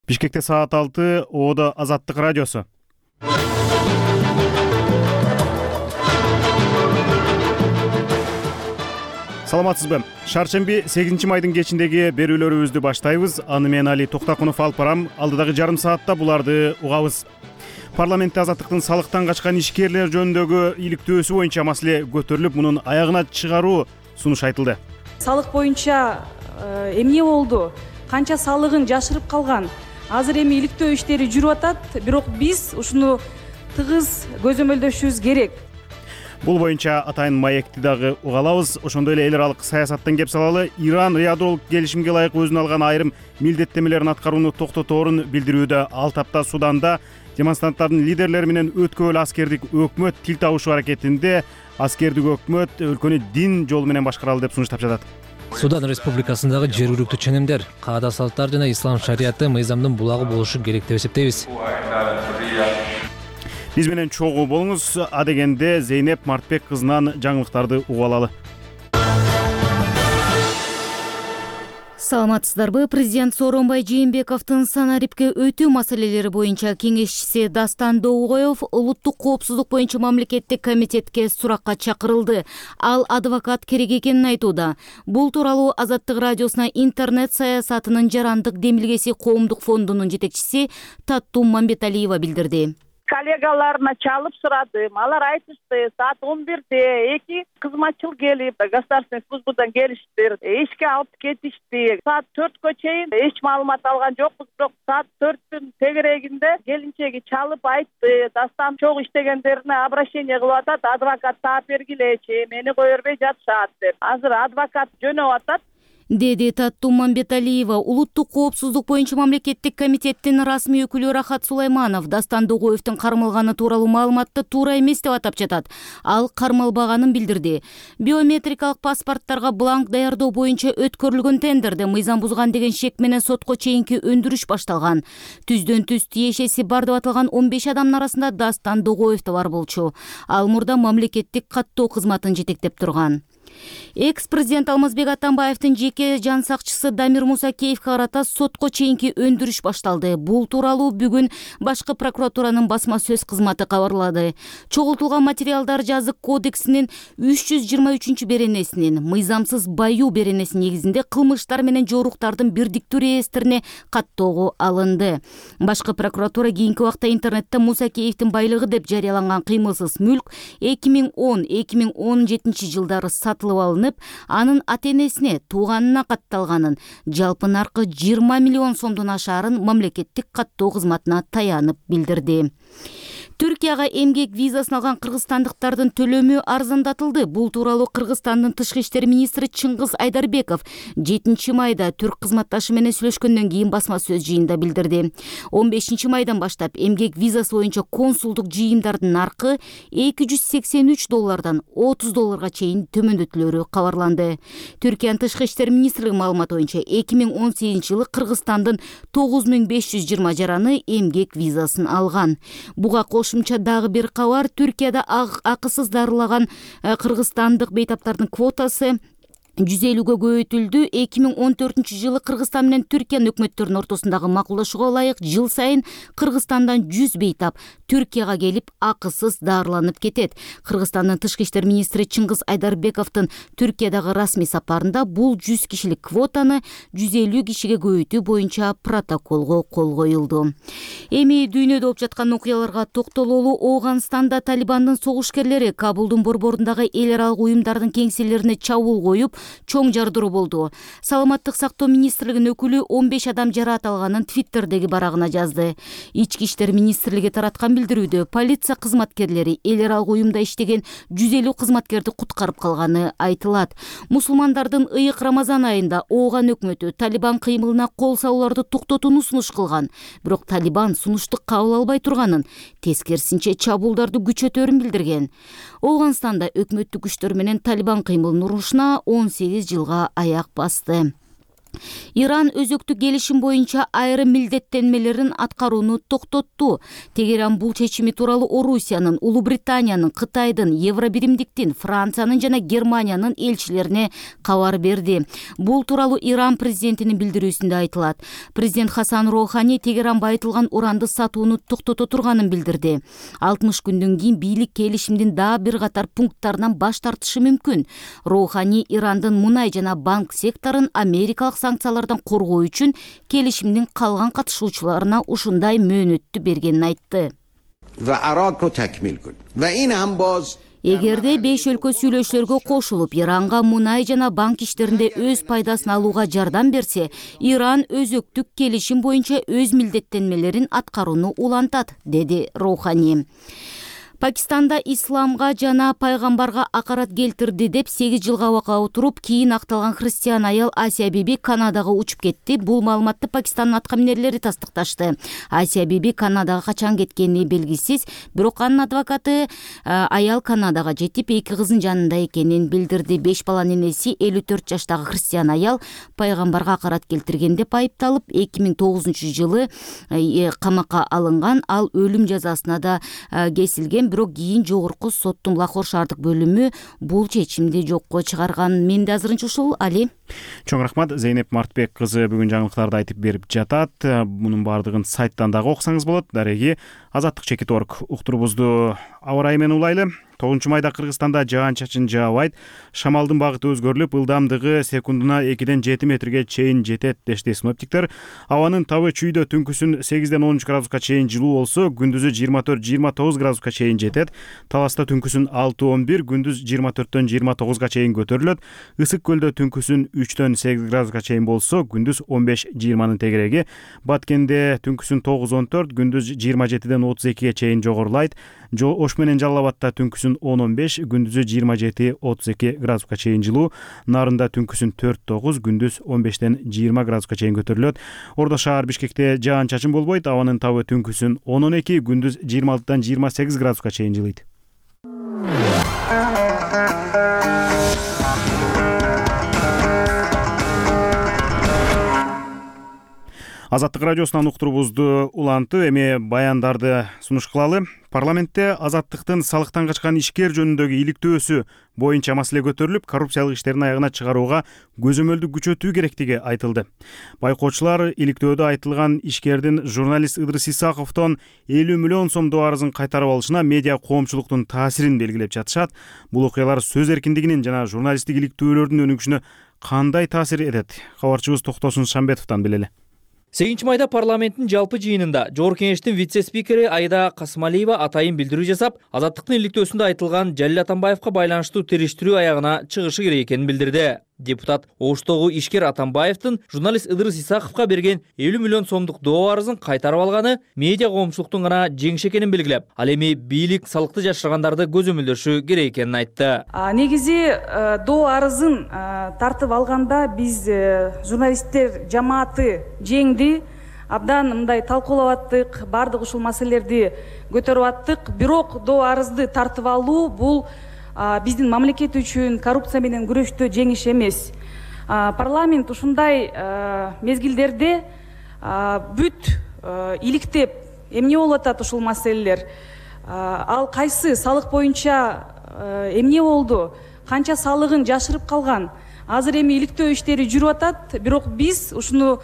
Бишкекте саат 6, Оодо Азаттык радиосу. Саламатсызбы? Шаршемби 8 майдын кечиндеги берүүлөрүбүздү баштайбыз. Аны мен Али Токтакунов алып барам. Алдыдагы жарым саатта буларды угабыз. Парламентте Азаттыктын салыктан качкан ишкерлер жөнүндөгү иликтөөсү боюнча маселе көтөрүлүп, мунун аягына чыгаруу сунуш айтылды. Салык боюнча эмне болду? Канча салыгын жашырып калган? Азыр эми иликтөө иштери жүрүп атат, бирок биз ушуну тыгыз көзөмөлдөшүбүз керек. Бул боюнча атайын маекти дагы уга алабыз. Ошондой эле эл аралык саясаттан кеп салалы. Иран ядролук келишимге ылайык өзүнө алган айрым милдеттенмелерин аткарууну токтоторун билдирүүдө. Ал тапта Суданда демонстранттардын лидерлери менен өткөбөл аскердик өкмөт тил табышуу аракетинде аскердик өкмөт өлкөнү дин жолу менен башкаралы деп сунуштап жатат. Судан Республикасындагы жергиликтүү ченемдер, каада салттар жана ислам шарияты мыйзамдын булагы болушу керек деп эсептейбиз. Биз менен чогуу болуңуз. Адегенде Зейнеп Мартбек кызынан жаңылыктарды угуп алалы. Саламатсыздарбы? Президент Сооронбай Жээнбековдун санарипке өтүү маселелери боюнча кеңешчиси Дастан Доогоев улуттук коопсуздук боюнча мамлекеттик комитетке суракка чакырылды. Ал адвокат керек экенин айтууда. Бул тууралуу Азаттык радиосуна интернет саясатынын жарандык демилгеси коомдук фондунун жетекчиси Таттум Мамбеталиева билдирди. Коллегаларына чалып сурадым. Алар айтышты, саат 11-де 2 кызматчыл келип, государственный службадан келиштир. Ишке алып кетишти. Саат 4кө чейин эч маалымат алган жокпуз, бирок саат 4-түн тегерегинде келинчеги чалып айтты. Дастан чогуу иштегендерине обращение кылып атат, адвокат таап бергилечи, мени кое бербей жатышат деп. Азыр адвокат жөнөп атат, деди Таттум Мамбеталиева. Улуттук коопсуздук боюнча мамлекеттик комитеттин расмий өкүлү Рахат Сулайманов Дастан Доогоевдун кармалганы тууралуу маалыматты туура эмес деп атап жатат. Ал кармалбаганын билдирди. Биометрикалык паспорттарга бланк даярдоо боюнча өткөрүлгөн тендерде мыйзам бузган деген шек менен сотко чейинки өндүрүш башталган. Түздөн түз тиешеси бар деп аталган 15 адамдын арасында Дастан Доогоев да бар болчу. Ал мурда мамлекеттик каттоо кызматын жетектеп турган. Экс-президент Алмазбек Атамбаевдин жеке жан сакчысы Дамир Мусакеевге карата сотко чейинки өндүрүш башталды. Бул тууралуу бүгүн башкы прокуратуранын басма сөз кызматы кабарлады. Чогултулган материалдар жазык кодексинин 323 беренесинин мыйзамсыз баюу беренеси негизинде кылмыштар менен жоруктардын бирдиктүү реестрине каттоого алынды. Башкы прокуратура кийинки убакта интернетте Мусакеевдин байлыгы деп жарыяланган кыймылсыз мүлк 2010-2017 жылдары сатылып алынып, анын ата-энесине, тууганына катталганын, жалпы наркы 20 миллион сомдон ашаарын мамлекеттик каттоо кызматына таянып билдирди. Түркияга эмгек визасын алган кыргызстандыктардын төлөмү арзандатылды. Бул тууралуу Кыргызстандын тышкы иштер министри Чыңгыз Айдарбеков 7 майда түрк кызматташы менен сүйлөшкөндөн кийин басма сөз жыйында билдирди. 15 майдан баштап эмгек визасы боюнча консулдук жыйымдардын наркы $283 $30 чейин төмөндөтүлөрү кабарланды. Түркиянын тышкы иштер министрлиги маалыматы боюнча 2018 жылы Кыргызстандын 9520 жараны эмгек визасын алган. Буга кошумча дагы бир кабар. Түркияда акысыз дарылаган кыргызстандык бейтаптардын квотасы 150-гө көбөйтүлдү. 2014 жылы Кыргызстан менен Түркиянын өкмөттөрүнүн ортосундагы макулдашууга ылайык жыл сайын Кыргызстандан 100 бейтап Түркияга келип акысыз дарыланып кетет. Кыргызстандын тышкы иштер министри Чыңгыз Айдарбековдун Түркиядагы расмий сапарында бул 100 кишилик квотаны 150 кишиге көбөйтүү боюнча протоколго кол коюлду. Эми дүйнөдө болуп жаткан окуяларга токтололу. Ооганстанда Талибандын согушкерлери Кабулдун борборундагы эл аралык уюмдардын кеңселерине чабуул коюп, чоң жардыруу болду. Саламаттык сактоо министрлигинин өкүлү 15 адам жараат алганын Твиттердеги барагына жазды. Ички иштер министрлиги тараткан билдирүүдө полиция кызматкерлери эл аралык уюмда иштеген 150 кызматкерди куткарып калганы айтылат. Мусулмандардын ыйык Рамазан айында Ооган өкмөтү Талибан кыймылына кол салууларды токтотууну сунуш кылган. Бирок Талибан сунушту кабыл албай турганын, тескерисинче чабуулдарды күчөтөрүн билдирген. Ооганстанда өкмөттүк күчтөр менен Талибан кыймылынын урушуна 18 жылга аяк басты. Иран өзөктүк келишим боюнча айрым милдеттенмелерин аткарууну токтотту. Тегеран бул чечими тууралуу Орусиянын, Улуу Британиянын, Кытайдын, Евробиримдиктин, Франциянын жана Германиянын элчилерине кабар берди. Бул тууралуу Иран президентинин билдирүүсүндө айтылат. Президент Хасан Роухани Тегеран байытылган уранды сатууну токтото турганын билдирди. 60 күндөн кийин бийлик келишимдин дагы бир катар пункттарынан баш тартышы мүмкүн. Роухани Ирандын мунай жана банк секторун америкалык санкциялардан коргоо үчүн келишимдин калган катышуучуларына ушундай мөөнөттү бергенин айтты. Эгерде 5 өлкө сүйлөшүүлөргө кошулуп, Иранга мунай жана банк иштеринде өз пайдасын алууга жардам берсе, Иран өзөктүк келишим боюнча өз милдеттенмелерин аткарууну улантат, деди Роухани. Пакистанда исламга жана пайгамбарга акарат келтирди деп 8 жылга абакка отуруп, кийин акталган христиан аял Асия Биби Канадага учуп кетти. Бул маалыматты Пакистандын аткаминерлери тастыкташты. Асия Биби Канадага качан кеткени белгисиз, бирок анын адвокаты аял Канадага жетип, 2 кызын жанында экенин билдирди. 5 баланын энеси 54 жаштагы христиан аял пайгамбарга акарат келтирген деп айыпталып, 2009-жылы камакка алынган. Ал өлүм жазасына да кесилген. Бирок кийин жогорку соттун Лахор шаардык бөлүмү бул чечимди жокко чыгарган. Менде азырынча ушул. Али. Чоң рахмат. Зейнеп Мартбек кызы бүгүн жаңылыктарды айтып берип жатат. Мунун баардыгын сайттан дагы окусаңыз болот. Дареги azatlyk.org уктурубузду аба ырайы менен улайлы. 9 майда Кыргызстанда жаан-чачын жаабайт. Шамалдын багыты өзгөрүлүп, ылдамдыгы секундуна 2-ден 7 метрге чейин жетет дешти синоптиктер. Абанын табы чүйдө түнкүсүн 8-ден 13 градуска чейин жылуу болсо, күндүзү 24-29 градуска чейин жетет. Таласта түнкүсүн 6-11, күндүз 24-төн 29га чейин көтөрүлөт. Ысык көлдө түнкүсүн 3-төн 8 градуска чейин болсо, күндүз 15-20 тегереги. Баткенде түнкүсүн 9-14, күндүз 27-ден 32ге чейин жогорулайт. Ош менен Жалал Абадта түнкүсүн 10-15, күндүзү 27-32 градуска чейин жылуу. Нарында түнкүсүн 4-9, күндүз 15-тен 20 градуска чейин көтөрүлөт. Ордо шаар Бишкекте жаан-чачын болбойт. Абанын табы түнкүсүн 10-12, күндүз 26-дан 28 градуска чейин жылыйт. Азаттык радиосунан уктурубузду улантып, эми баяндарды сунуш кылалы. Парламентте азаттыктын салыктан качкан ишкер жөнүндөгү иликтөөсү боюнча маселе көтөрүлүп, коррупциялык иштерин аягына чыгарууга көзөмөлдү күчөтүү керектиги айтылды. Байкоочулар иликтөөдө айтылган ишкердин журналист Ыдырыс Исаковдон 50 миллион сом дубарызын кайтарып алышына медиа коомчулуктун таасирин белгилеп жатышат. Бул окуялар сөз эркиндигинин жана журналисттик иликтөөлөрдүн өнүгүшүнө кандай таасир этет? Кабарчыбыз Токтосун Шамбетовдон билели. 8 майда парламенттин жалпы жыйынында Жогорку Кеңештин вице-спикери Айда Касымалиева атайын билдирүү жасап, азаттыктын иликтөөсүндө айтылган Жалил Атамбаевка байланыштуу териштирүү аягына чыгышы керек экенин билдирди. Депутат Оштогу ишкер Атамбаевдин журналист Ыдырыс Исаковго берген 50 миллион сомдук доорузун кайтарып алганы медиа коомчулуктун гана жеңиши экенин белгилеп, ал эми бийлик салыкты жашыргандарды көзөмөлдөшү керек экенин айтты. Негизи доо арызын тартып алганда биз журналисттер жамааты жеңди, абдан мындай талкуулап аттык, баардык ушул маселелерди көтөрүп аттык. Бирок доо арызды тартып алуу бул биздин мамлекет үчүн коррупция менен күрөштө жеңиш эмес. Парламент ушундай мезгилдерде бүт иликтеп эмне болуп атат ушул маселелер? Ал кайсы салык боюнча эмне болду? Канча салыгын жашырып калган? Азыр эми иликтөө иштери жүрүп атат, бирок биз ушуну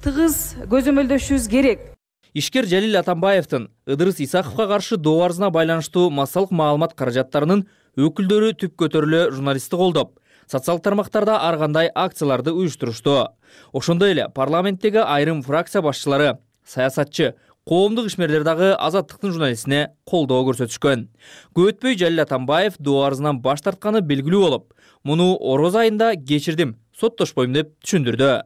тыгыз көзөмөлдөшүбүз керек. Ишкер Жалил Атамбаевдин Ыдырыс Исаковго каршы доо арызына байланыштуу массалык маалымат каражаттарынын өкүлдөрү түп көтөрүлө журналистти колдоп, социалдык тармактарда ар кандай акцияларды уюштурушту. Ошондой эле парламенттеги айрым фракция башчылары, саясатчы, коомдук ишмерлер дагы азаттыктын журналистине колдоо көрсөтүшкөн. Көп өтпөй Жалил Атамбаев доо арызынан баш тартканы белгилүү болуп, муну ороз айында кечирдим, соттошпойм деп түшүндүрдү.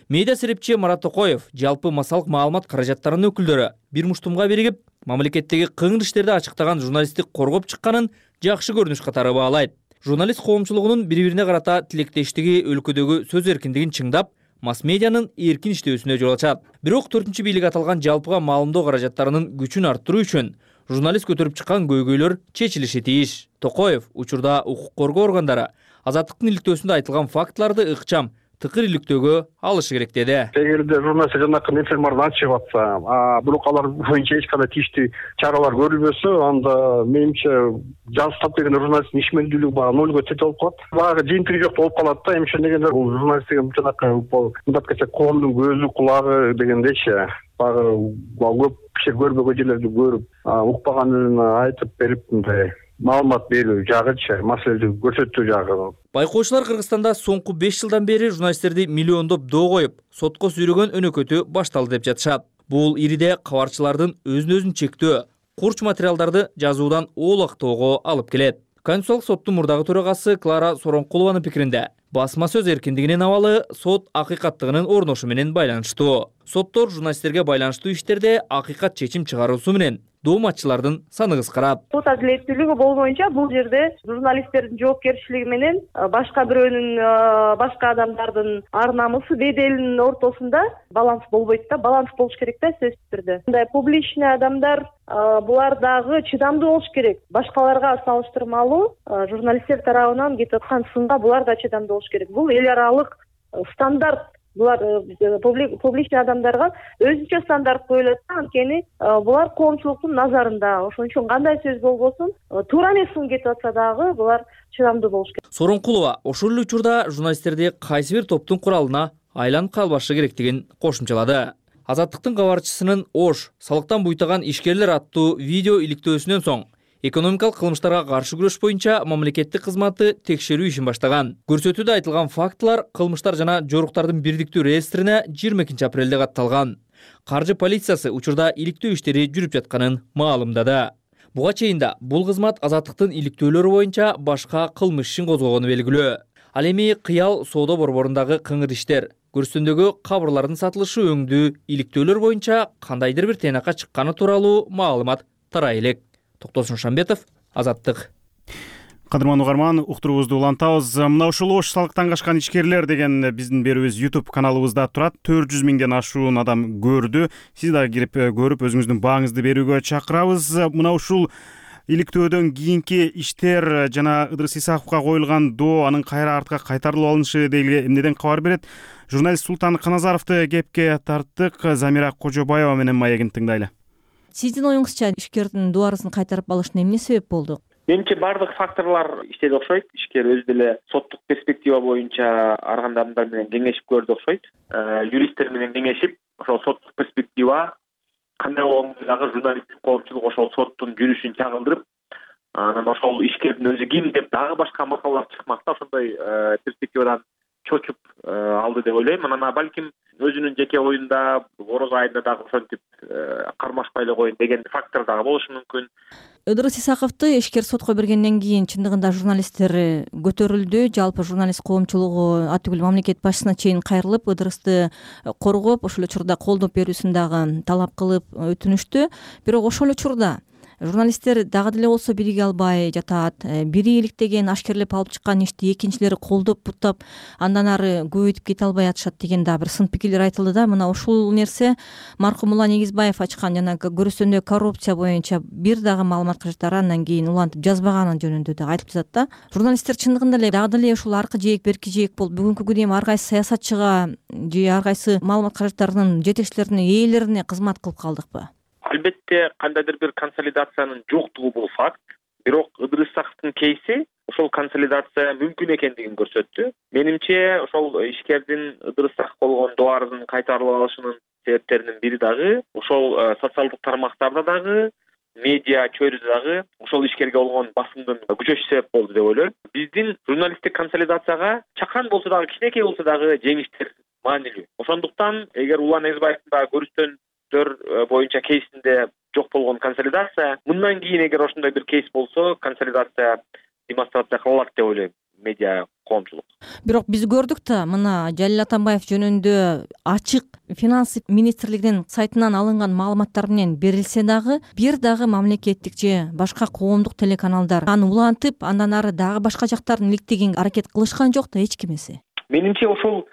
Медиа серепчи Марат Токоев жалпы массалык маалымат каражаттарынын өкүлдөрү бир муштумга биригип, мамлекеттеги кыңыр иштерди ачыктаган журналистти коргоп чыкканын жакшы көрүнүш катары баалайт. Журналист коомчулугунун бири-бирине карата тилектештиги өлкөдөгү сөз эркиндигин чыңдап, масс-медианын эркин иштөөсүнө жол ачат. Бирок 4 бийлик аталган жалпыга маалымдоо каражаттарынын күчүн арттыруу үчүн журналист көтөрүп чыккан көйгөйлөр чечилиши тийиш. Токоев учурда укук коргоо органдары азаттыктын иликтөөсүндө айтылган фактыларды ыкчам, тыкыр иликтөөгө алышы керек деди. Эгерде журналист жанакы информацияны ачып атса, бирок алар боюнча эч кандай тийиштүү чаралар көрүлбөсө, анда менимче жазып берген журналисттин ишмердүүлүгү баягы нольго тете болуп калат. Баягы жыйынтыгы жок болуп калат да. Эмне дегенде бул журналист деген жанакы мындай десе коомдун көзү, кулагы дегендейчи. Баягы көп киши көрбөгөн жерлерди көрүп, укпаганын айтып берип, мындай маалымат берүү жагычы, маселени көрсөтүү жагы. Байкоочулар Кыргызстанда соңку 5 жылдан бери журналисттерди миллиондоп доо коюп, сотко сүйрөгөн өнөкөтү башталды деп жатышат. Бул ириде кабарчылардын өзүн чектөө, курч материалдарды жазуудан оолактоого алып келет. Конституциялык соттун мурдагы төрагасы Клара Соронкулованын пикиринде, басма сөз эркиндигинин абалы сот акыйкаттыгынын орношу менен байланыштуу. Соттор журналисттерге байланыштуу иштерде акыйкат чечим чыгаруусу менен дооматчылардын саны кыскарат. Сот адилеттүүлүгү болбоюнча бул жерде журналисттердин жоопкерчилиги менен башка бирөөнүн, башка адамдардын ар намысы, беделинин ортосунда баланс болбойт да, баланс болуш керек да сөзсүз түрдө. Мындай публичный адамдар булар дагы чыдамдуу болуш керек. Башкаларга салыштырмалуу журналисттер тарабынан кетип аткан сынга булар да чыдамдуу болуш керек. Бул эл аралык стандарт. Булар публичный адамдарга өзүнчө стандарт коюлат, анткени булар коомчулуктун назарында. Ошон үчүн кандай сөз болбосун, туура эмес сын кетип атса дагы булар чыдамдуу болуш керек. Соронкулова ошол эле учурда журналисттерди кайсы бир топтун куралына айланып калбашы керектигин кошумчалады. Азаттыктын кабарчысынын Ош салыктан буйтаган ишкерлер аттуу видео иликтөөсүнөн соң экономикалык кылмыштарга каршы күрөш боюнча мамлекеттик кызматы текшерүү ишин баштаган. Көрсөтүүдө айтылган фактылар кылмыштар жана жоруктардын бирдиктүү реестрине 22 апрелде катталган. Каржы полициясы учурда иликтөө иштери жүрүп жатканын маалымдады. Буга чейин да бул кызмат азаттыктын иликтөөлөрү боюнча башка кылмыш ишин козгогону белгилүү. Ал эми Кыял соода борборундагы кыңыр иштер, көрсөтүүндөгү кабырлардын сатылышы өңдүү иликтөөлөр боюнча кандайдыр бир тыйнакка чыкканы тууралуу маалымат тарай элек. Токтосун Шамбетов, Азаттык. Кадырман угарман, уктуруубузду улантабыз. Мына ушул Ош салыктан качкан ишкерлер деген биздин берүүбүз YouTube каналыбызда турат. 400 миңден ашуун адам көрдү. Сиз дагы кирип көрүп өзүңүздүн бааңызды берүүгө чакырабыз. Мына ушул иликтөөдөн кийинки иштер жана Ыдырыс Исаковго коюлган доо, анын кайра артка кайтарылып алынышы деги эмнеден кабар берет? Журналист Султан Каназаровду кепке тарттык. Замира Кожобаева менен маегин тыңдайлы. Сиздин оюңузча ишкердин доо арызын кайтарып алышына эмне себеп болду? Менимче бардык факторлор иштеди окшойт. Ишкер өзү деле соттук перспектива боюнча арган адамдар менен кеңешип көрдү окшойт. Юристтер менен кеңешип, ошол соттук перспектива кандай болгондо дагы журналисттик коомчулук ошол соттун жүрүшүн чагылдырып, анан ошол ишкердин өзү ким деп дагы башка макалалар чыкмакта, ошондой перспективадан чочуп алды деп ойлойм. Анан балким өзүнүн жеке оюнда ороз айында дагы ошентип кармашпай эле коеюн деген фактор дагы болушу мүмкүн. Ыдырыс Исаковду ишкер сотко бергенден кийин чындыгында журналисттер көтөрүлдү. Жалпы журналист коомчулугу атүгүл мамлекет башчысына чейин кайрылып, Ыдырысты коргоп, ошол учурда колдоп берүүсүн дагы талап кылып өтүнүштү. Бирок ошол учурда журналисттер дагы деле болсо бириге албай жатат. Бири иликтеген, ашкерлеп алып чыккан ишти экинчилери колдоп буттап, андан ары көбөйтүп кете албай атышат деген да бир сын пикирлер айтылды да. Мына ушул нерсе маркум Улан Эгизбаев ачкан жана көрүстөндө коррупция боюнча бир дагы маалымат кажеттары андан кийин улантып жазбаганы жөнүндө да айтып жатат да. Журналисттер чындыгында эле дагы деле ушул аркы жээк, берки жээк болуп, бүгүнкү күнү эми ар кайсы саясатчыга же ар кайсы маалымат кажеттарынын жетекчилерине, ээлерине кызмат кылып калдыкпы? Албетте кандайдыр бир консолидациянын жоктугу бул факт. Бирок Ыдырыс Исаковдун кейси ошол консолидация мүмкүн экендигин көрсөттү. Менимче ошол ишкердин Ыдырыс Исаковго болгон доо арызын кайтарылып алышынын себептеринин бири дагы ошол социалдык тармактарда дагы, медиа чөйрөдө дагы ошол ишкерге болгон басымдын күчөшү себеп болду деп ойлойм. Биздин журналисттик консолидацияга чакан болсо дагы, кичинекей болсо дагы жеңиштер маанилүү. Ошондуктан эгер Улан Эгизбаевдин дагы көрүстөн боюнча кейсинде жок болгон консолидация, мындан кийин эгер ошондой бир кейс болсо, консолидация демонстрация кылалат деп ойлойм медиа коомчулук. Бирок биз көрдүк да, мына Жалил Атамбаев жөнүндө ачык финансы министрлигинин сайтынан алынган маалыматтар менен берилсе дагы, бир дагы мамлекеттик же башка коомдук телеканалдар аны улантып, андан ары дагы башка жактардын иликтеген аракет кылышкан жок да эч кимиси. Менимче ошол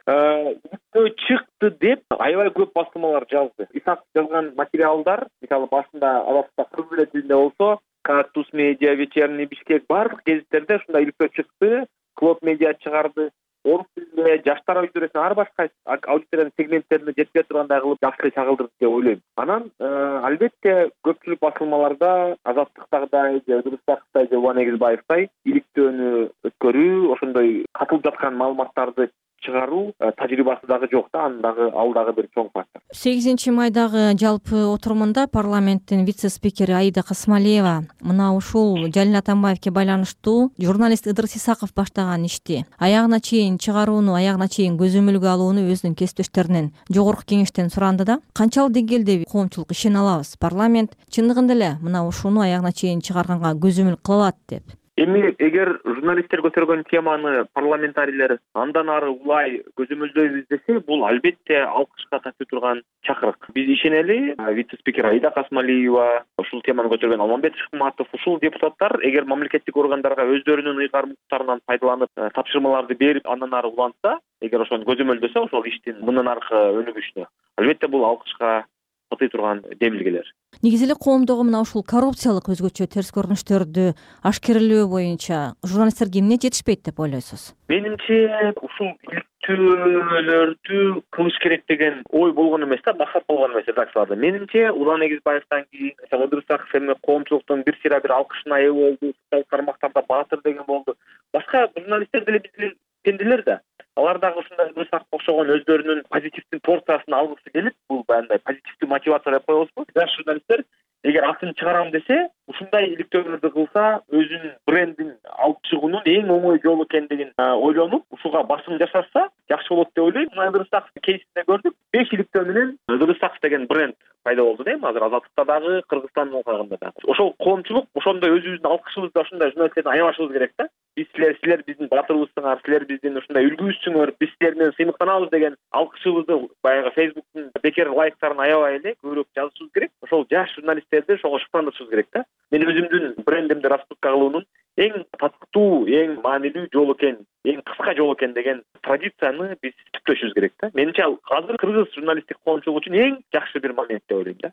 чыкты деп аябай көп басылмалар жазды. Исаков жазган материалдар, мисалы башында алапта кыргыз тилинде болсо, Кактус медиа, Вечерний Бишкек бардык гезиттерде ушундай иликтөө чыкты. Клод медиа чыгарды. орус тилинде жаштар аудиториясына ар башка аудиториянын сегменттерине жетпей тургандай кылып жакшы чагылдырды деп ойлойм. Анан албетте көпчүлүк басылмаларда Азаттыктагыдай же Ыдырыстагыдай же Улан Эгизбаевдай иликтөөнү өткөрүү, ошондой катылып жаткан маалыматтарды чыгаруу тажрыйбасы дагы жок да, анын дагы ал дагы бир чоң фактор. 8 майдагы жалпы отурумунда парламенттин вице-спикери Аида Касмалиева мына ушул Жалил Атамбаевке байланыштуу журналист Ыдырыс Исаков баштаган ишти аягына чейин чыгарууну, аягына чейин көзөмөлгө алууну өзүнүн кесиптештеринен жогорку кеңештен суранды да. Канчалык деңгээлде коомчулук ишене алабыз? Парламент чындыгында эле мына ушуну аягына чейин чыгарганга көзөмөл кыла алат деп. Эми эгер журналисттер көтөргөн теманы парламентарийлер андан ары улай көзөмөлдөйбүз десе, бул албетте алкышка татуу турган чакырык. Биз ишенели, вице-спикер Аида Касмалиева, ушул теманы көтөргөн Алмамбет Шыкматов, ушул депутаттар эгер мамлекеттик органдарга өздөрүнүн ыйгарымдуулуктарынан пайдаланып тапшырмаларды берип андан ары улантса, эгер ошону көзөмөлдөсө ошол иштин мындан аркы өнүгүшүнө, албетте бул алкышка татый турган демилгелер. Негизи эле коомдогу мына ушул коррупциялык өзгөчө терс көрүнүштөрдү ашкерелөө боюнча журналисттерге эмне жетишпейт деп ойлойсуз? Менимче ушул иликтөөлөрдү кылыш керек деген ой болгон эмес да, максат болгон эмес редакцияларда. Менимче Улан Эгизбаевден кийин Ыдырыс Исаков эми коомчулуктун бир сыйра бир алкышына ээ болду, социалдык тармактарда баатыр деген болду. Башка журналисттер деле биздин пенделер да. Алар дагы ушундай Ыдырыс Исаковго окшогон өздөрүнүн позитивдүү порциясын алгысы келип, бул баягындай позитивдүү мотивация деп коебузбу? Жаш журналисттер эгер атын чыгарам десе, ушундай иликтөөлөрдү кылса, өзүнүн брендин алып чыгуунун эң оңой жолу экендигин ойлонуп, ушуга басым жасашса, жакшы болот деп ойлойм. Ыдырыс Исаков кейсинде көрдүк, 5 иликтөө менен Ыдырыс Исаков деген бренд пайда болду дейм. Азыр Азаттыкта дагы, Кыргызстандын кагында дагы. Ошол коомчулук ошондой өзүбүздүн алкышыбызды ошондой журналисттерден аябашыбыз керек да. Биз силер биздин батырыбызсыңар, силер биздин ушундай үлгүбүзсүңөр, биз силер менен сыймыктанабыз деген алкышыбызды баягы Facebooktун бекер лайктарын аябай эле көбүрөөк жазышыбыз керек. Ошол жаш журналисттерди ошого шыктандырышыбыз керек да. Мен өзүмдүн брендимди раскрутка кылуунун эң татыктуу, эң маанилүү жол экен, эң кыска жол экен деген традицияны биз түптөшүбүз керек да. Менимче азыр кыргыз журналисттик коомчулугу үчүн эң жакшы бир момент деп ойлойм да.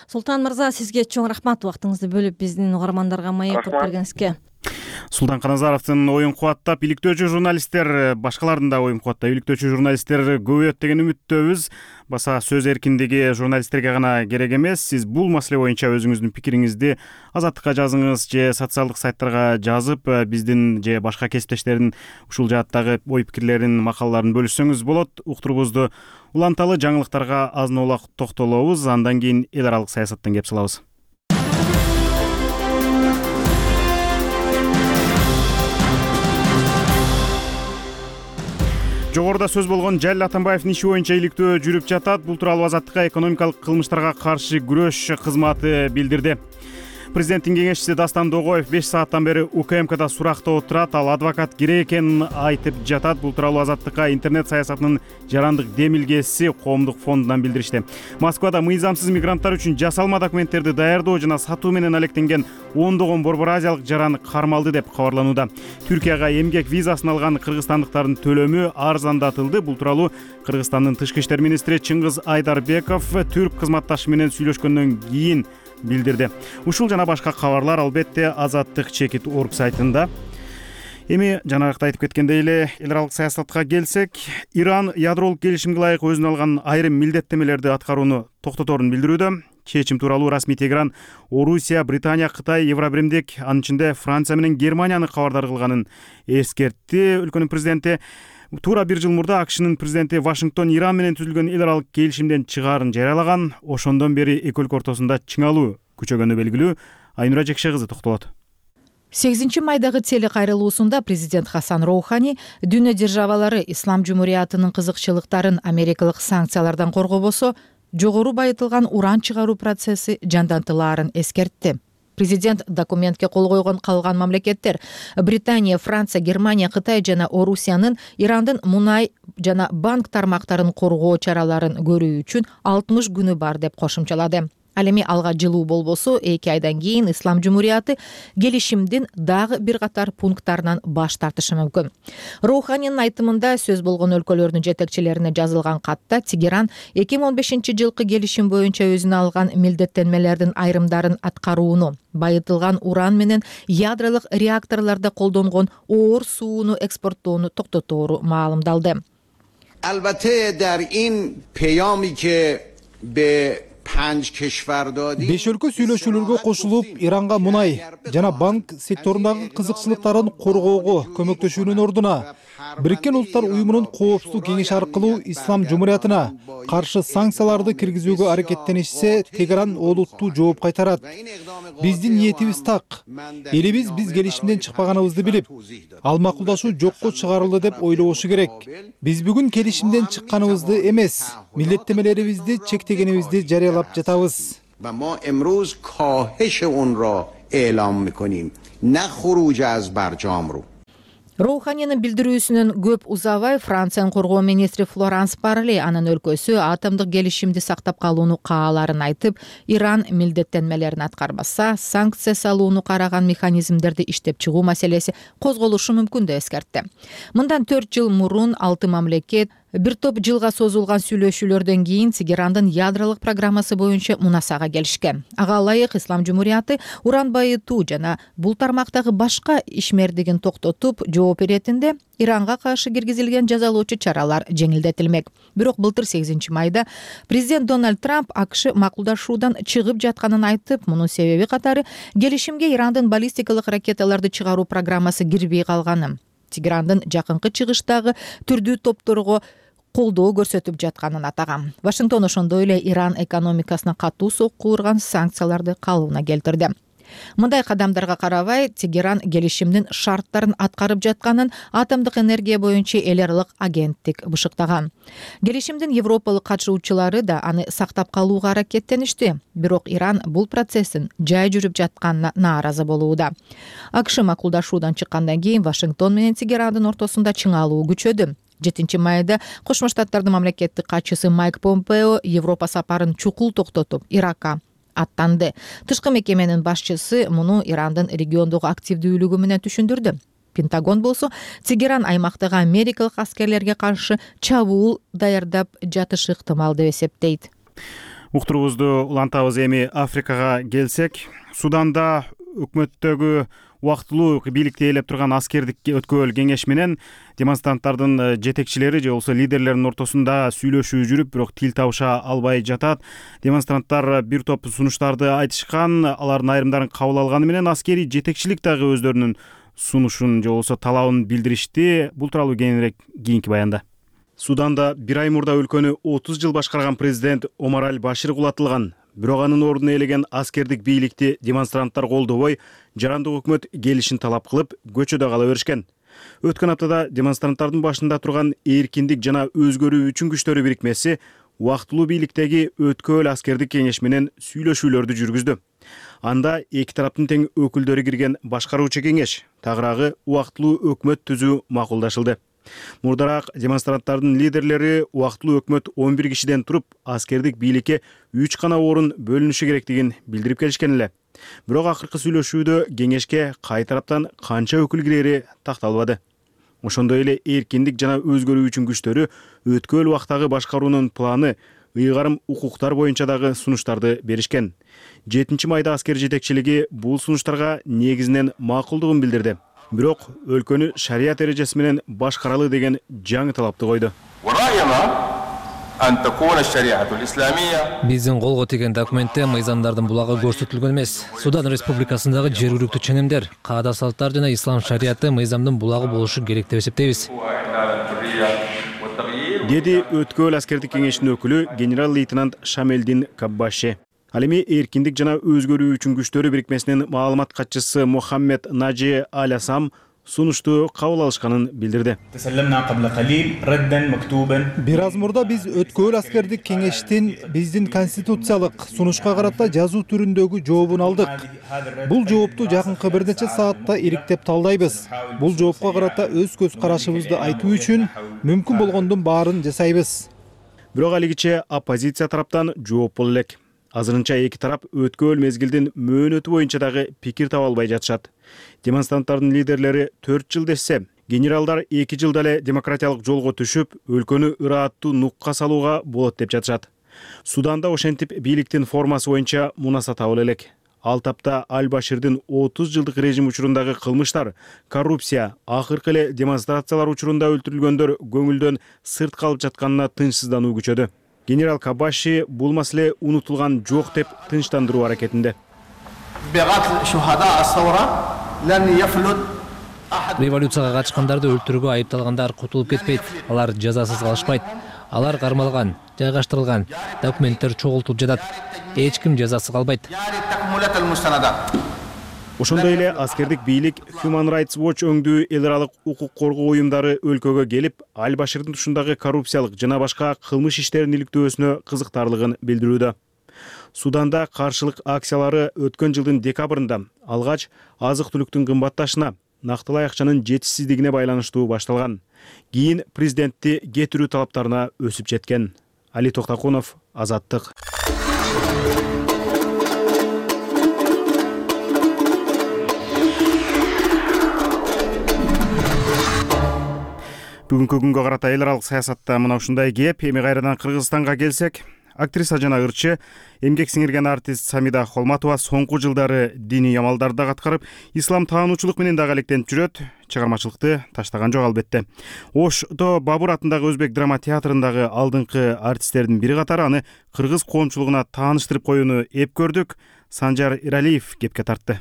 Султан мырза, сизге чоң рахмат убактыңызды бөлүп биздин угармандарга маек кылып бергениңизге. Султан Каназаровдун оюн кубаттап, иликтөөчү журналисттер, башкалардын да оюн кубаттап, иликтөөчү журналисттер көбөйөт деген үмүттөбүз. Баса сөз эркиндиги журналисттерге гана керек эмес. Сиз бул маселе боюнча өзүңүздүн пикириңизди Азаттыкка жазыңыз же социалдык сайттарга жазып, биздин же башка кесиптештердин ушул жааттагы ой пикирлерин, макалаларын бөлүшсөңүз болот. Уктурубузду уланталы, жаңылыктарга азын-аулак токтолобуз, андан кийин эл аралык саясаттан кеп салабыз. Жогоруда сөз болгон Жалил Атамбаевдин иши боюнча иликтөө жүрүп жатат. Бул тууралуу Азаттыкка экономикалык кылмыштарга каршы күрөш кызматы билдирди. Президенттин кеңешчиси Дастан Догоев 5 сааттан бери УКМКда суракта отурат. Ал адвокат керек экенин айтып жатат. Бул тууралуу Азаттыкка интернет саясатынын жарандык демилгеси коомдук фондунан билдиришти. Москвада мыйзамсыз мигранттар үчүн жасалма документтерди даярдоо жана сатуу менен алектенген ондогон Борбор Азиялык жаран кармалды деп кабарланууда. Түркияга эмгек визасын алган кыргызстандыктардын төлөмү арзандатылды. Бул тууралуу Кыргызстандын тышкы иштер министри Чыңгыз Айдарбеков түрк кызматташы менен сүйлөшкөндөн кийин билдирди. Ушул жана башка кабарлар албетте Азаттык.org сайтында. Эми жанагыкта айтып кеткендей эле эл аралык саясатка келсек, Иран ядролук келишимге ылайык өзүнө алган айрым милдеттемелерди аткарууну токтоторун билдирүүдө. Чечим тууралуу расмий Тегеран Орусия, Британия, Кытай, Евробиримдик, анын ичинде Франция менен Германияны кабардар кылганын эскертти. Өлкөнүн президенти туура 1 жыл мурда АКШнын президенти Вашингтон Иран менен түзүлгөн эл аралык келишимден чыгаарын жарыялаган. Ошондон бери эки өлкө ортосунда чыңалуу күчөгөнү белгилүү. Айнура Жекше кызы токтолот. 8 майдагы телекайрылуусунда президент Хасан Роухани дүйнө державалары ислам жумуриятынын кызыкчылыктарын америкалык санкциялардан коргобосо, жогору байытылган уран чыгаруу процесси жандантылаарын эскертти. Президент документке кол койгон калган мамлекеттер Британия, Франция, Германия, Кытай жана Орусиянын Ирандын мунай жана банк тармактарын коргоо чараларын көрүү үчүн 60 күнү бар деп кошумчалады. Ал эми алга жылуу болбосо 2 айдан кийин Ислам Жумурияты келишимдин дагы бир катар пункттарынан баш тартышы мүмкүн. Роуханинин айтымында сөз болгон өлкөлөрдүн жетекчилерине жазылган катта Тегеран 2015-жылкы келишим боюнча өзүнө алган милдеттенмелердин айрымдарын аткарууну, байытылган уран менен ядролук реакторлордо колдонгон оор сууну экспорттоону токтотору маалымдалды. البته در این پیامی که به 5 өлкө сүйлөшүүлөргө кошулуп, Иранга мунай жана банк секторундагы кызыкчылыктарын коргоого көмөктөшүүнүн ордуна Бириккен Улуттар Уюмунун Коопсуздук кеңеши аркылуу Ислам Жумуриятына каршы санкцияларды киргизүүгө аракеттенишсе, Тегеран олуттуу жооп кайтарат. Биздин ниетибиз так. Элибиз биз келишимден чыкпаганыбызды билип, ал макулдашуу жокко чыгарылды деп ойлобошу керек. Биз бүгүн келишимден чыкканыбызды эмес, милдеттемелерибизди чектегенибизди жарыялап жатабыз. و ما امروز کاهش اون را اعلام میکنیم نه خروج از برجام رو. Роуханинин билдирүүсүнөн көп узабай Франциянын коргоо министри Флоранс Парли анын өлкөсү атомдук келишимди сактап калууну кааларын айтып, Иран милдеттенмелерин аткарбаса, санкция салууну караган механизмдерди иштеп чыгуу маселеси козголушу мүмкүн деп эскертти. Мындан 4 жыл мурун 6 мамлекет бир топ жылга созулган сүйлөшүүлөрдөн кийин Тегерандын ядролук программасы боюнча мунасага келишкен. Ага ылайык Ислам Жумурияты уран байытуу жана бул тармактагы башка ишмердигин токтотуп, жооп иретинде Иранга каршы киргизилген жазалоочу чаралар жеңилдетилмек. Бирок былтыр 8 майда президент Дональд Трамп АКШ макулдашуудан чыгып жатканын айтып, мунун себеби катары келишимге Ирандын баллистикалык ракеталарды чыгаруу программасы кирбей калганы, Тегерандын жакынкы чыгыштагы түрдүү топторго колдоо көрсөтүп жатканын атаган. Вашингтон ошондой эле Иран экономикасына катуу сокку урган санкцияларды калыбына келтирди. Мындай кадамдарга карабай, Тегеран келишимдин шарттарын аткарып жатканын атомдук энергия боюнча эл аралык агенттик бышыктаган. Келишимдин европалык катышуучулары да аны сактап калууга аракеттеништи, бирок Иран бул процесстин жай жүрүп жатканына нааразы болууда. АКШ макулдашуудан чыккандан кийин Вашингтон менен Тегерандын ортосунда чыңалуу күчөдү. 7 майда Кошмо Штаттардын мамлекеттик катчысы Майк Помпео Европа сапарын чукул токтотуп, Иракка аттанды. Тышкы мекеменин башчысы муну Ирандын региондогу активдүүлүгү менен түшүндүрдү. Пентагон болсо Тегеран аймактагы америкалык аскерлерге каршы чабуул даярдап жатышы ыктымал деп эсептейт. Уктуруубузду улантабыз. Эми Африкага келсек, Суданда өкмөттөгү убактылуу бийликти ээлеп турган аскердик өткөөл кеңеш менен демонстранттардын жетекчилери же болбосо лидерлеринин ортосунда сүйлөшүү жүрүп, бирок тил табыша албай жатат. Демонстранттар бир топ сунуштарды айтышкан, алардын айрымдарын кабыл алганы менен аскерий жетекчилик дагы өздөрүнүн сунушун же болбосо талабын билдиришти. Бул тууралуу кеңирээк кийинки баянда. Суданда 1 ай мурда өлкөнү 30 жыл башкарган президент Омар Аль-Башир кулатылган. Бирок анын ордуна ээлеген аскердик бийликти демонстранттар колдобой, жарандык өкмөт келишин талап кылып, көчөдө кала беришкен. Өткөн аптада демонстранттардын башында турган эркиндик жана өзгөрүү үчүн күчтөрү бирикмеси убактылуу бийликтеги өткөөл аскердик кеңеш менен сүйлөшүүлөрдү жүргүздү. Анда эки тараптын тең өкүлдөрү кирген башкаруучу кеңеш, тагыраагы убактылуу өкмөт түзүү макулдашылды. Мурдараак демонстранттардын лидерлери убактылуу өкмөт 11 кишиден туруп, аскердик бийликке 3 гана орун бөлүнүшү керектигин билдирип келишкен эле. Бирок акыркы сүйлөшүүдө кеңешке кай тараптан канча өкүл кирери такталбады. Ошондой эле эркиндик жана өзгөрүү үчүн күчтөрү өткөөл убактагы башкаруунун планы, ыйгарым укуктар боюнча дагы сунуштарды беришкен. 7 майда аскер жетекчилиги бул сунуштарга негизинен макулдугун билдирди. Бирок өлкөнү шарият эрежеси менен башкаралы деген жаңы талапты койду. Биздин колго тийген документте мыйзамдардын булагы көрсөтүлгөн эмес. Судан Республикасындагы жергиликтүү ченемдер, каада салттар жана ислам шарияты мыйзамдын булагы болушу керек деп эсептейбиз. Деди өткөөл аскердик кеңештин өкүлү генерал-лейтенант Шамелдин Каббаши. Ал эми эркиндик жана өзгөрүү үчүн күчтөрү бирикмесинин маалымат катчысы Мухаммед Нажи Аль-Асам сунушту кабыл алышканын билдирди. Бир аз мурда биз өткөөл аскердик кеңештин биздин конституциялык сунушка карата жазуу түрүндөгү жообун алдык. Бул жоопту жакынкы бир нече саатта ириктеп талдайбыз. Бул жоопко карата өз көз карашыбызды айтуу үчүн мүмкүн болгондун баарын жасайбыз. Бирок алигиче оппозиция тараптан жооп боло элек. азырынча эки тарап өткөн мезгилдин мөөнөтү боюнча дагы пикир таба албай жатышат. Демонстранттардын лидерлери 4 жыл десе, генералдар 2 жылда эле демократиялык жолго түшүп, өлкөнү ырааттуу нукка салууга болот деп жатышат. Суданда ошентип бийликтин формасы боюнча мунаса табыла элек. Ал тапта Аль-Баширдин 30 жылдык режим учурундагы кылмыштар, коррупция, акыркы эле демонстрациялар учурунда өлтүрүлгөндөр көңүлдөн сырт калып жатканына тынчсыздануу күчөдү. Генерал Кабаши бул маселе унутулган жок деп тынчтандыруу аракетинде. Революцияга катышкандарды өлтүрүүгө айыпталгандар кутулуп кетпейт. Алар жазасыз калышпайт. Алар кармалган, жайгаштырылган, документтер чогултулуп жатат. Эч ким жазасыз калбайт. Ошондой эле аскердик бийлик Human Rights Watch өңдүү эл аралык укук коргоо уюмдары өлкөгө келип, Аль-Баширдин тушундагы коррупциялык жана башка кылмыш иштерин иликтөөсүнө кызыктарлыгын билдирүүдө. Суданда каршылык акциялары өткөн жылдын декабрында алгач азык-түлүктүн кымбатташына, нактылай акчанын жетишсиздигине байланыштуу башталган. Кийин президентти кетирүү талаптарына өсүп жеткен. Али Токтакунов, Азаттык. Бүгүнкү күнгө карата эл аралык саясатта мына ушундай кеп. Эми кайрадан Кыргызстанга келсек, актриса жана ырчы, эмгек сиңирген артист Самида Холматова соңку жылдары диний амалдарды аткарып, ислам таануучулук менен дагы алектенип жүрөт. Чыгармачылыкты таштаган жок албетте. Ошто Бабур атындагы Өзбек драма театрындагы алдыңкы артисттердин бири катары аны кыргыз коомчулугуна тааныштырып коюуну эп көрдүк. Санжар Иралиев кепке тартты.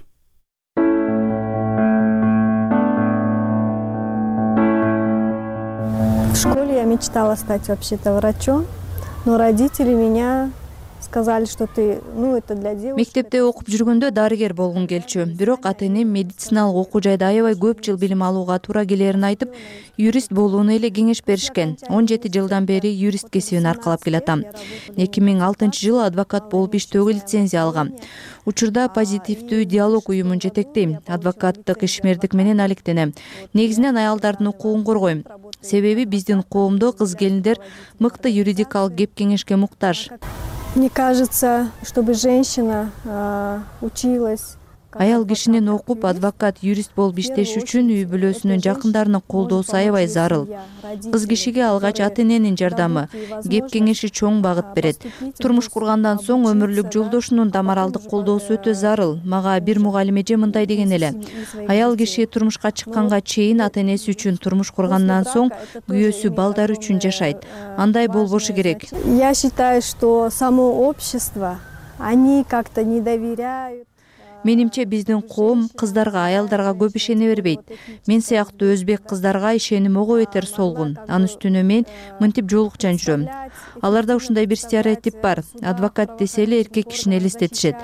В школе я мечтала стать вообще-то врачом, но родители меня сказали, что это для девушек. Мектепте окуп жүргөндө дарыгер болгум келчү. Бирок ата-энем медициналык окуу жайда аябай көп жыл билим алууга туура келерин айтып, юрист болууну эле кеңеш беришкен. 17 жылдан бери юрист кесибин аркалап келатам. 2006-жылы адвокат болуп иштөөгө лицензия алгам. Учурда позитивдүү диалог уюмун жетектейм. Адвокаттык ишмердик менен алектенем. Негизинен аялдардын укугун коргойм. Себеби биздин коомдо кыз келиндер мыкты юридикалык кеп кеңешке муктаж. Мне кажется, чтобы женщина училась. Аял кишинин окуп, адвокат, юрист болуп иштеш үчүн үй бүлөсүнүн жакындарынын колдоосу аябай зарыл. Кыз кишиге алгач ата-эненин жардамы, кеп кеңеши чоң багыт берет. Турмуш кургандан соң өмүрлүк жолдошунун да моралдык колдоосу өтө зарыл. Мага бир мугалим эже мындай деген эле: аял киши турмушка чыкканга чейин ата-энеси үчүн турмуш кургандан соң күйөөсү, балдары үчүн жашайт. Андай болбошу керек. Я считаю, что само общество, они как-то не доверяют. Менимче биздин коом кыздарга, аялдарга көп ишене бербейт. Мен сыяктуу өзбек кыздарга ишеним ого бетер солгун. Анын үстүнө мен мынтип жолукчан жүрөм. Аларда ушундай бир стереотип бар. Адвокат десе эле эркек кишини элестетишет.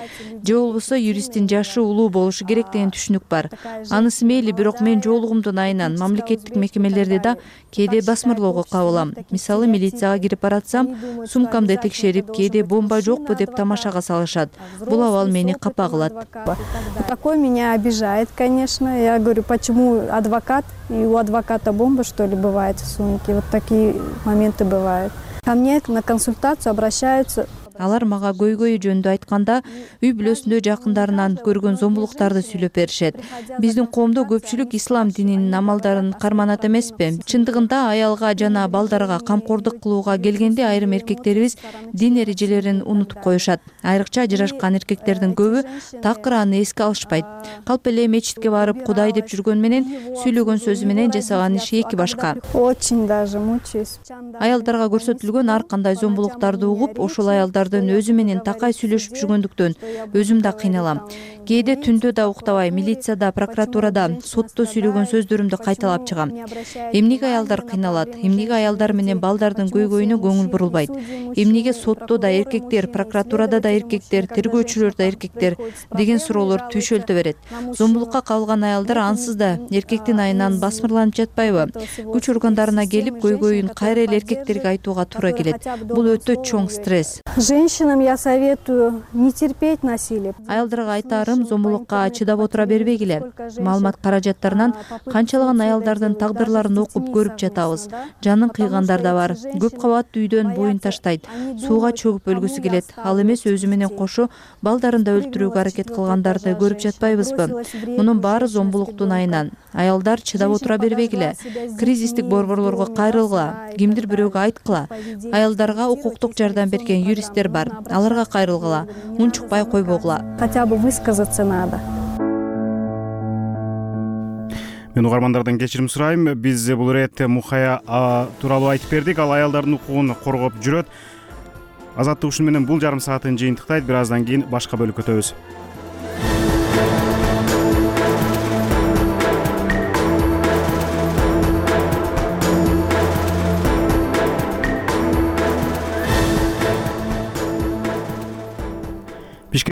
Же болбосо юристтин жашы улуу болушу керек деген түшүнүк бар. Анысы мейли, бирок мен жоолугумдун айынан мамлекеттик мекемелерди да кээде басмырлоого кабылам. Мисалы, милицияга кирип баратсам, сумкамды текшерип, кээде бомба жокпу деп тамашага салышат. Бул абал мени капа кылат. Такое меня обижает, конечно. Я говорю, почему адвокат, и у адвоката бомба, что ли, бывает в сумке. Вот такие моменты бывают. Ко мне на консультацию обращаются. Алар мага көйгөйү жөнүндө айтканда, үй бүлөсүндө жакындарынан көргөн зомбулуктарды сүйлөп беришет. Биздин коомдо көпчүлүк ислам дининин амалдарын карманат эмеспи? Чындыгында аялга жана балдарга камкордук кылууга келгенде айрым эркектерибиз дин эрежелерин унутуп коюшат. Айрыкча ажырашкан эркектердин көбү такыр аны эске алышпайт. Калп эле мечитке барып Кудай деп жүргөн менен сүйлөгөн сөзү менен жасаган иши эки башка. Очень даже мучаюсь. Аялдарга көрсөтүлгөн ар кандай зомбулуктарды угуп, ошол аялдар өзү менен такай сүйлөшүп жүргөндүктөн өзүм да кыйналам. Кээде түндө да уктабай, милицияда, прокуратурада, сотто сүйлөгөн сөздөрүмдү кайталап чыгам. Эмнеге аялдар кыйналат? Эмнеге аялдар менен балдардын көйгөйүнө көңүл бурулбайт? Эмнеге сотто да эркектер, прокуратурада да эркектер, тергөөчүлөр да эркектер деген суроолор түйшөлтө берет. Зомбулукка кабылган аялдар ансыз да эркектин айынан басмырланып жатпайбы? Күч органдарына келип, көйгөйүн кайра эле эркектерге айтууга туура келет. Бул өтө чоң стресс. Женщинам я советую не терпеть насилие. Аялдарга айтарым, зомбулукка чыдап отура бербегиле. Маалымат каражаттарынан канчалаган аялдардын тагдырларын окуп көрүп жатабыз. Жанын кыйгандар да бар. Көп кабаттуу үйдөн боюн таштайт, сууга чөгүп өлгүсү келет. Ал эмес өзү менен кошо балдарын да өлтүрүүгө аракет кылгандарды көрүп жатпайбызбы? Мунун баары зомбулуктун айынан. Аялдар чыдап отура бербегиле. Кризистик борборлорго кайрылгыла, кимдир бирөөгө айткыла. Аялдарга укуктук жардам берген юристтер бар. Аларга кайрылгыла, унчукпай койбогула. Хотя бы высказаться надо. Мен угармандардан кечирим сурайм. Биз бул иретте Мухая тууралуу айтып бердик. Ал аялдардын укугун коргоп жүрөт. Азаттык ушуну менен бул жарым саатын жыйынтыктайт. Бир аздан кийин башка бөлүккө өтөбүз.